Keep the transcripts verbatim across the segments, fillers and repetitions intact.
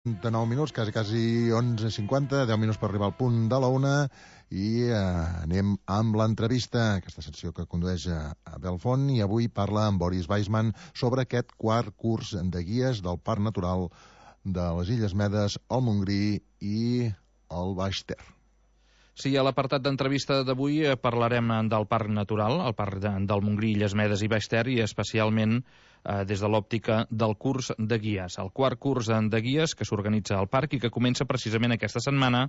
de nou minuts, quasi, quasi onze cinquanta, deu minuts per arribar al punt de la una, i eh, anem amb l'entrevista, aquesta secció que condueix a, a Belfont, i avui parla amb Boris Weisman sobre aquest quart curs de guies del Parc Natural de les Illes Medes, el Montgrí i el Baix Ter. Sí, a l'apartat d'entrevista d'avui parlarem del Parc Natural, el Parc de, del Montgrí, Illes Medes i Baix Ter, i especialment eh, des de l'òptica del curs de guies, el quart curs de guies que s'organitza al parc i que comença precisament aquesta setmana,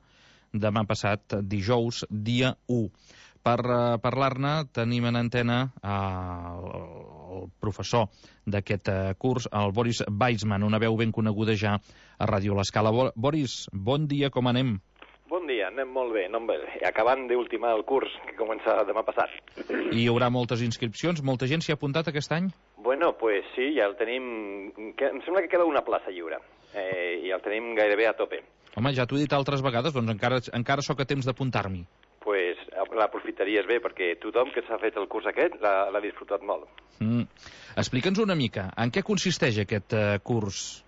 demà passat, dijous, dia u. Per uh, parlar-ne tenim en antena uh, el professor d'aquest uh, curs, el Boris Weisman, una veu ben coneguda ja a Ràdio L'Escala. Bo Boris, bon dia, com anem? Bon dia, anem molt bé, anem bé. Acabant d'ultimar el curs que comença demà passat. I hi haurà moltes inscripcions? Molta gent s'hi ha apuntat aquest any? Bueno, pues sí, ja el tenim... Em sembla que queda una plaça lliure eh, i el tenim gairebé a tope. Home, ja t'ho he dit altres vegades, doncs encara, encara sóc a temps d'apuntar-m'hi. Pues l'aprofitaries bé, perquè tothom que s'ha fet el curs aquest l'ha disfrutat molt. Mm. Explica'ns una mica, en què consisteix aquest uh, curs?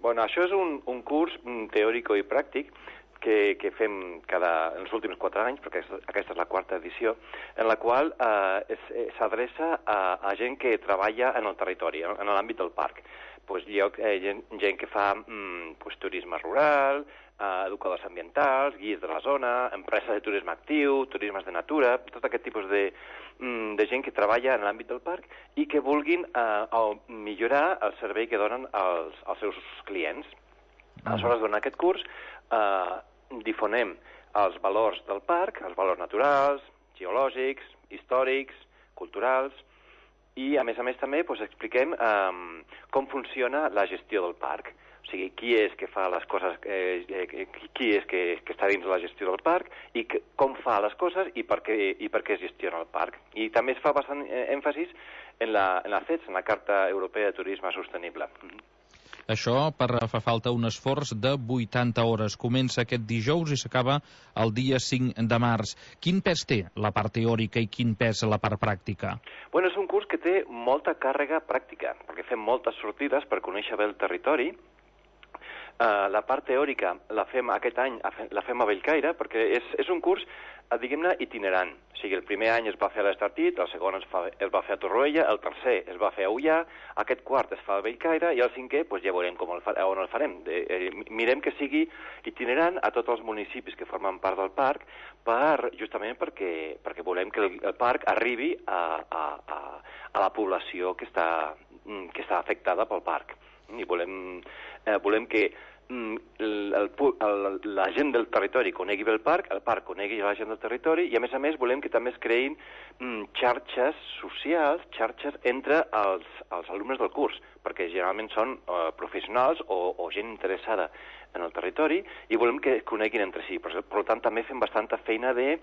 Bueno, això és un, un curs teòric i pràctic que, que fem cada, en els últims quatre anys, perquè aquesta és la quarta edició, en la qual eh, s'adreça a, a gent que treballa en el territori, en l'àmbit del parc. Pues, lloc, eh, gent, gent que fa mm, pues, turisme rural, eh, educadors ambientals, guies de la zona, empreses de turisme actiu, turismes de natura, tot aquest tipus de, mm, de gent que treballa en l'àmbit del parc i que vulguin eh, millorar el servei que donen als, als seus clients. Aleshores, durant aquest curs, eh, difonem els valors del parc, els valors naturals, geològics, històrics, culturals, i a més a més també doncs, expliquem eh, com funciona la gestió del parc. O sigui, qui és que fa les coses, eh, qui és que, que està dins de la gestió del parc i que, com fa les coses i per què, i per què es gestiona el parc. I també es fa bastant èmfasis en la, en la C E T S, en la Carta Europea de Turisme Sostenible. Això per fa falta un esforç de vuitanta hores. Comença aquest dijous i s'acaba el dia cinc de març. Quin pes té la part teòrica i quin pes la part pràctica? Bueno, és un curs que té molta càrrega pràctica, perquè fem moltes sortides per conèixer bé el territori. Uh, la part teòrica la fem aquest any, la fem a Bellcaire, perquè és, és un curs, diguem-ne, itinerant. O sigui, el primer any es va fer a l'Estartit, el segon es, fa, es va fer a Torroella, el tercer es va fer a Ullà, aquest quart es fa a Bellcaire i el cinquè doncs ja veurem com el fa, on el farem. De, eh, mirem que sigui itinerant a tots els municipis que formen part del parc, per, justament perquè, perquè volem que el, el parc arribi a, a, a, a la població que està, que està afectada pel parc. I volem, eh, volem que mm, el, el, la gent del territori conegui bé el parc, el parc conegui la gent del territori, i a més a més volem que també es creïn mm, xarxes socials, xarxes entre els, els alumnes del curs, perquè generalment són eh, professionals o, o gent interessada en el territori, i volem que es coneguin entre si. Per, per tant, també fem bastanta feina de,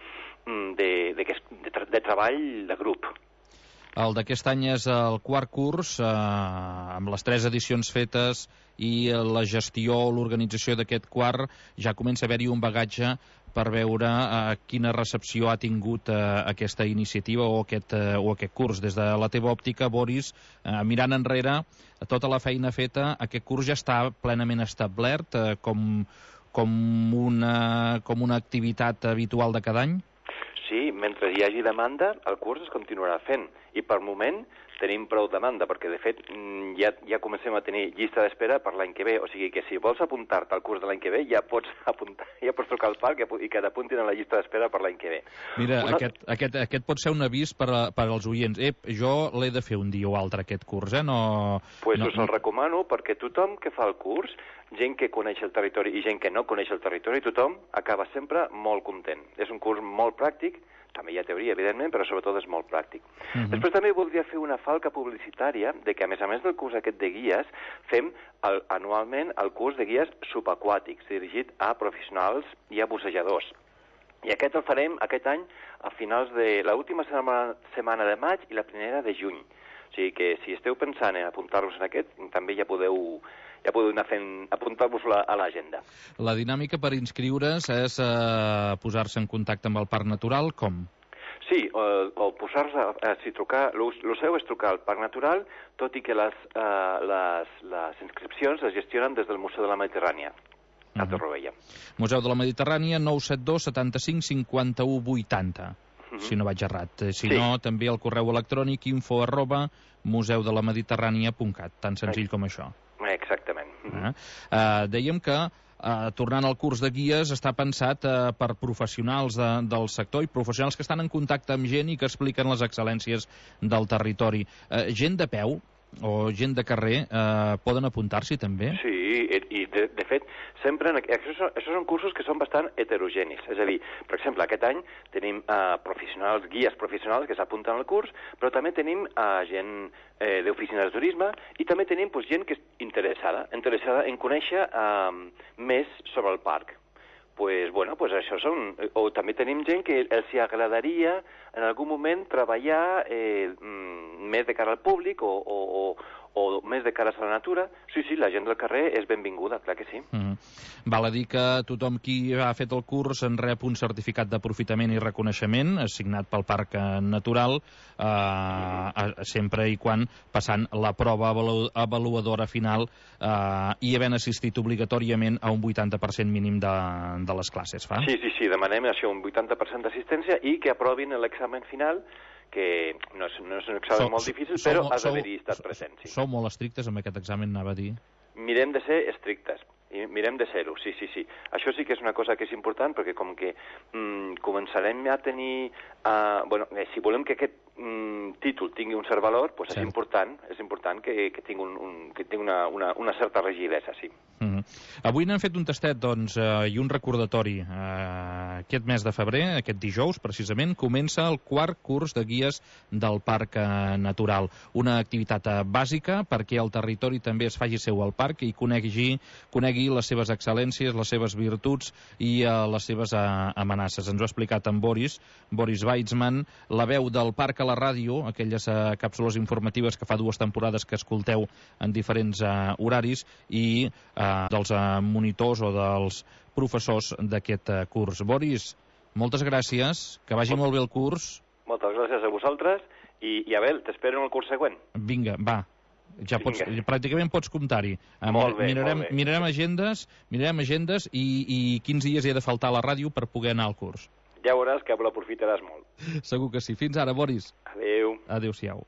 de, de, de, de, de treball de grup. El d'aquest any és el quart curs, eh, amb les tres edicions fetes i la gestió o l'organització d'aquest quart, ja comença a haver-hi un bagatge per veure eh, quina recepció ha tingut eh, aquesta iniciativa o aquest, eh, o aquest curs. Des de la teva òptica, Boris, eh, mirant enrere, tota la feina feta, aquest curs ja està plenament establert eh, com, com, una, com una activitat habitual de cada any? Sí, mentre hi hagi demanda, el curs es continuarà fent. I per moment tenim prou demanda, perquè de fet ja, ja comencem a tenir llista d'espera per l'any que ve. O sigui que si vols apuntar-te al curs de l'any que ve, ja pots apuntar, ja pots trucar al parc i que t'apuntin a la llista d'espera per l'any que ve. Mira, Una... aquest, aquest, aquest pot ser un avís per, a, per als oients. Ep, jo l'he de fer un dia o altre, aquest curs, eh? No... Pues no... us el recomano, perquè tothom que fa el curs, gent que coneix el territori i gent que no coneix el territori, tothom acaba sempre molt content. És un curs molt pràctic, també hi ha teoria, evidentment, però sobretot és molt pràctic. Uh-huh. Després també voldria fer una falca publicitària de que, a més a més del curs aquest de guies, fem el, anualment el curs de guies subaquàtics, dirigit a professionals i a bussejadors. I aquest el farem aquest any a finals de l'última setmana, setmana de maig i la primera de juny. O sigui que si esteu pensant en apuntar-vos en aquest, també ja podeu... ja podeu anar fent, apuntar-vos a l'agenda. La dinàmica per inscriure's és eh, posar-se en contacte amb el Parc Natural, com? Sí, o, o posar-se, eh, si trucar, el seu és trucar al Parc Natural, tot i que les, eh, les, les inscripcions es gestionen des del Museu de la Mediterrània, a Torroella. Museu de la Mediterrània, nou set dos setanta-cinc cinquanta-u vuitanta, uh -huh. si no vaig errat. Si sí. no, també el correu electrònic info arroba museu de la mediterrània punt cat, tan senzill com això. Exactament. Uh -huh. uh, dèiem que Uh, tornant al curs de guies, està pensat uh, per professionals de, del sector i professionals que estan en contacte amb gent i que expliquen les excel·lències del territori. Uh, gent de peu o gent de carrer uh, poden apuntar-s'hi també? Sí, i de, de fet, sempre en, això, són, això són cursos que són bastant heterogenis. És a dir, per exemple, aquest any tenim uh, professionals, guies professionals que s'apunten al curs, però també tenim uh, gent eh, d'oficines de turisme i també tenim pues, gent que és interessada, interessada en conèixer uh, més sobre el parc. Pues, bueno, pues això són... O també tenim gent que els agradaria en algun moment treballar eh, més de cara al públic o, o, o, o més de cara a la natura. Sí, sí, la gent del carrer és benvinguda, clar que sí. Mm. Val a dir que tothom qui ha fet el curs en rep un certificat d'aprofitament i reconeixement assignat pel Parc Natural, eh, mm. sempre i quan passant la prova avalu avaluadora final eh, i havent assistit obligatòriament a un vuitanta per cent mínim de, de les classes, fa? Sí, sí, sí, demanem això, un vuitanta per cent d'assistència i que aprovin l'examen final, que no és, no és un examen so, molt difícil, so, però so, has d'haver-hi estat present. Sí. Sou molt estrictes amb aquest examen, anava a dir? Mirem de ser estrictes, i mirem de ser-ho, sí, sí, sí. Això sí que és una cosa que és important, perquè com que mm, començarem a tenir... Uh, bueno, eh, si volem que aquest mm, títol tingui un cert valor, pues és important, és important que, que tingui, un, un, que tingui una, una, una certa rigidesa, sí. Mm -hmm. Avui n'hem fet un tastet, doncs, eh, i un recordatori. Eh, aquest mes de febrer, aquest dijous, precisament, comença el quart curs de guies del Parc eh, Natural. Una activitat eh, bàsica perquè el territori també es faci seu al parc i conegui, conegui les seves excel·lències, les seves virtuts i eh, les seves eh, amenaces. Ens ho ha explicat en Boris, Boris Weitzman, la veu del parc a la ràdio, aquelles eh, càpsules informatives que fa dues temporades que escolteu en diferents eh, horaris, i eh, dels eh, monitors o dels professors d'aquest eh, curs. Boris, moltes gràcies, que vagi molt bé el curs. Moltes gràcies a vosaltres i, i Abel, t'espero en el curs següent. Vinga, va. Ja pots, pràcticament pots comptar-hi. Molt bé, mirarem, molt bé. Mirarem agendes, mirarem agendes i, i quins dies hi ha de faltar a la ràdio per poder anar al curs. Ja veuràs que l'aprofitaràs molt. Segur que sí. Fins ara, Boris. Adéu. Adéu-siau.